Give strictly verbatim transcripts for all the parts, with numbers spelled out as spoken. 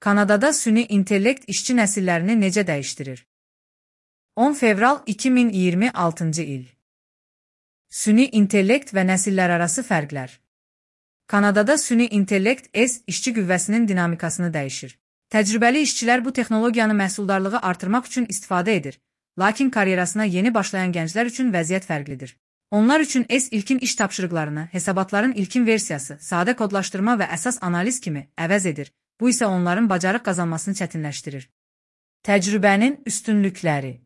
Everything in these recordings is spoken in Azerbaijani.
Kanadada süni intellekt işçi nəsillərini necə dəyişdirir? on fevral iki min iyirmi altıncı il. Süni intellekt və nəsillərarası fərqlər. Kanadada süni intellekt S işçi qüvvəsinin dinamikasını dəyişir. Təcrübəli işçilər bu texnologiyanı məhsuldarlığı artırmaq üçün istifadə edir, lakin karyerasına yeni başlayan gənclər üçün vəziyyət fərqlidir. Onlar üçün S ilkin iş tapşırıqlarını, hesabatların ilkin versiyası, sadə kodlaşdırma və əsas analiz kimi əvəz edir. Bu isə onların bacarıq qazanmasını çətinləşdirir. Təcrübənin üstünlükləri.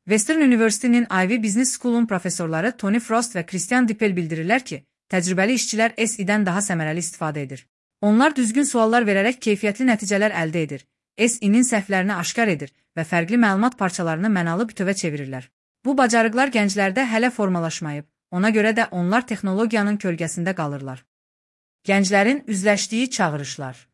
Western University'nin Ivy Business School'un professorları Tony Frost və Christian Dippel bildirirlər ki, təcrübəli işçilər S I-dən daha səmərəli istifadə edir. Onlar düzgün suallar verərək keyfiyyətli nəticələr əldə edir, S I-nin səhvlərini aşkar edir və fərqli məlumat parçalarını mənalı bütövə çevirirlər. Bu bacarıqlar gənclərdə hələ formalaşmayıb, ona görə də onlar texnologiyanın kölgəsində qalırlar. Gənclərin üzləşdiyi çağırışlar.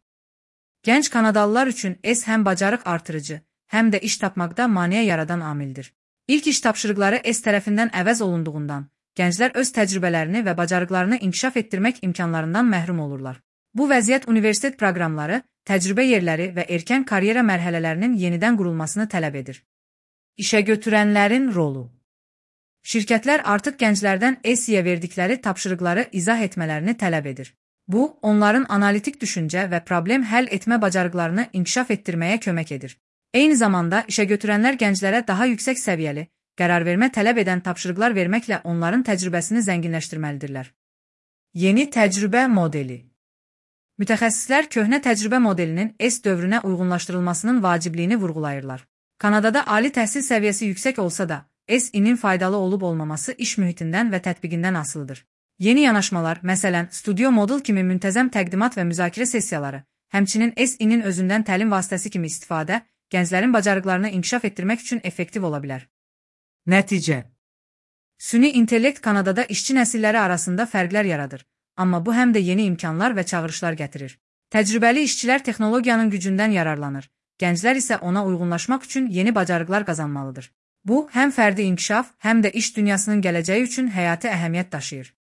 Gənc Kanadalılar üçün S həm bacarıq artırıcı, həm də iş tapmaqda maneə yaradan amildir. İlk iş tapşırıqları S tərəfindən əvəz olunduğundan, gənclər öz təcrübələrini və bacarıqlarını inkişaf etdirmək imkanlarından məhrum olurlar. Bu vəziyyət universitet proqramları, təcrübə yerləri və erkən karyera mərhələlərinin yenidən qurulmasını tələb edir. İşə götürənlərin rolu. Şirkətlər artıq gənclərdən S I-yə verdikləri tapşırıqları izah etmələrini tələb edir. Bu, onların analitik düşüncə və problem həll etmə bacarıqlarını inkişaf etdirməyə kömək edir. Eyni zamanda işə götürənlər gənclərə daha yüksək səviyyəli, qərarvermə tələb edən tapşırıqlar verməklə onların təcrübəsini zənginləşdirməlidirlər. Yeni təcrübə modeli. Mütəxəssislər köhnə təcrübə modelinin S dövrünə uyğunlaşdırılmasının vacibliyini vurğulayırlar. Kanadada ali təhsil səviyyəsi yüksək olsa da, S I-nin faydalı olub-olmaması iş mühitindən və tətbiqindən asılıdır. Yeni yanaşmalar, məsələn, Studio Model kimi müntəzəm təqdimat və müzakirə sessiyaları, həmçinin S I-nin özündən təlim vasitəsi kimi istifadə, gənclərin bacarıqlarını inkişaf etdirmək üçün effektiv ola bilər. Nəticə. Süni intellekt Kanadada işçi nəsilləri arasında fərqlər yaradır, amma bu həm də yeni imkanlar və çağırışlar gətirir. Təcrübəli işçilər texnologiyanın gücündən yararlanır, gənclər isə ona uyğunlaşmaq üçün yeni bacarıqlar qazanmalıdır. Bu, həm fərdi inkişaf, həm də iş dünyasının gələcəyi üçün həyati əhəmiyyət daşıyır.